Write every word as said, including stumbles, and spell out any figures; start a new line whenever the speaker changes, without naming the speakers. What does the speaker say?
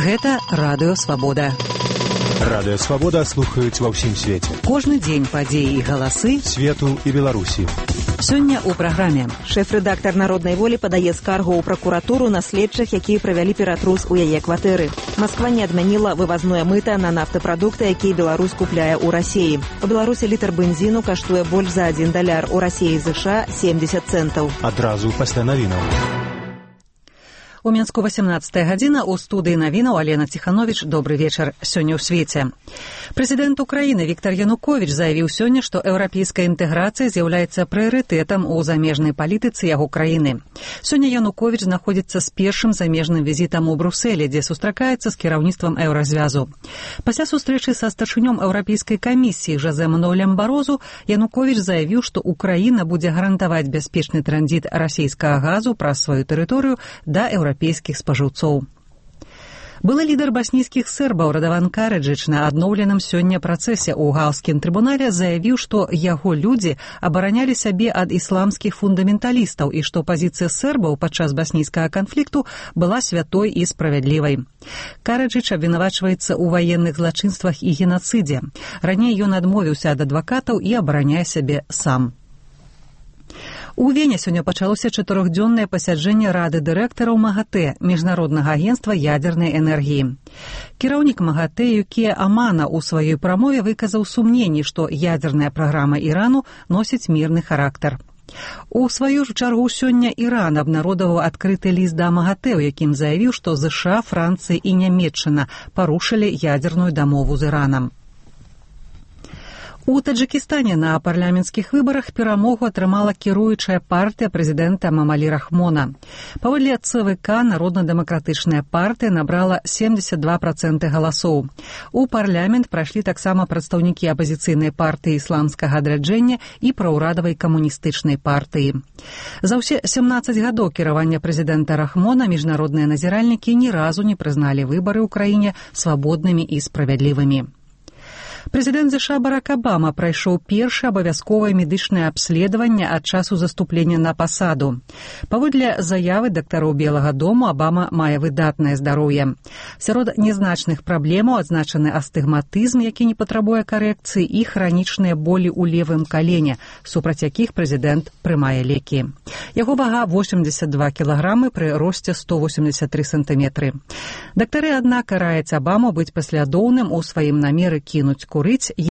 Гэта Радыё Свабода.
Радыё Свабода слухаюць ва ўсім свеце.
Кожны дзень падзеі і галасы
свету і Беларусі.
Сёння ў праграме.
Шэф-рэдактар «Народнай волі» падае скаргу ў пракуратуру на следчых, якія правялі ператрус у яе кватэры. Масква не адмяніла вывазное мыта на нафтапрадукты, якія Беларусь купляе ў Расіі. У Беларусі літр бензіну каштуе больш за адзін даляр, у Расіі і ЗША семьдесят цэнтаў.
Адразу пасля навінаў.
У Мінску васямнадцатая гадзіна, у студыі навінаў Алена Ціхановіч. Добры вечар. Сёння ў свеце. Прэзідэнт Украіны Віктар Януковіч заявіў сёння, што еўрапейская інтэграцыя з'яўляецца прыярытэтам у замежнай палітыцы яго краіны. Сёння Януковіч знаходзіцца з першым замежным візітам у Брусэлі, дзе сустракаецца з кіраўніцтвам еўразвязу. Пасля сустрэчы са старшынём еўрапейскай камісіі Жозе Мануэлем Барозу Януковіч заявіў, што Украіна будзе гарантаваць бяспечны транзіт расійскага газу праз сваю тэрыторыю да еўрапейскіх спажыўцоў. Былы лідар баснійскіх сербаў Радаван Караджыч на адноўленым сёння працэсе ў Гааўскім трыбунале заявіў, што яго людзі абаранялі сябе ад ісламскіх фундаменталістаў і што пазіцыя сербаў падчас баснійскага канфлікту была святой і справядлівай. Караджыч абвінавачваецца ў ваенных злачынствах і генацыдзе. Раней ён адмовіўся ад адвакатаў і абараняе сябе сам. У Вене сёння пачалося чатырохдзённае пасяджэнне Рады дырэктараў МАГАТЭ, міжнароднага агенцтва ядзернай энергіі. Кіраўнік МАГАТЭ Юкія Амана ў сваёй прамове выказаў сумненні, што ядзерная праграма Ірану носіць мірны характар. У сваю ж чаргу сёння Іран абнародаваў адкрыты ліст да МАГАТЭ, у якім заявіў, што ЗША, Францыя і Нямецчына парушылі ядзерную дамову з Іранам. У Таджыкістане на парламенцкіх выбарах перамогу атрымала кіруючая партыя прэзідэнта Мамалі Рахмона. Паводле ЦВК Народна-дэмакратычная партыя набрала семьдесят два проценты галасоў. У парламент прайшлі таксама прадстаўнікі апазіцыйнай партыі ісламскага адраджэння і праўрадавай камуністычнай партыі. За ўсе сямнаццаць гадоў кіравання прэзідэнта Рахмона міжнародныя назіральнікі ні разу не прызналі выбары ў краіне свабоднымі і справядлівымі. Прэзідэнт ЗША Барак Абама прайшоў першае абавязковае медычнае абследаванне ад часу заступлення на пасаду. Паводле заявы дактароў Белага дому, Абама мае выдатнае здароўе. Сярод нязначных праблемаў адзначаны астыгматызм, які не патрабуе карэкцыі, і хранічныя болі ў левым калене, супраць якіх прэзідэнт прымае лекі. Яго вага восемьдесят два кілаграмы пры росце сто восемьдесят три сантыметры. Дактары, аднак, раяць Абаму быць паслядоўным у сваім намеры кінуць курыць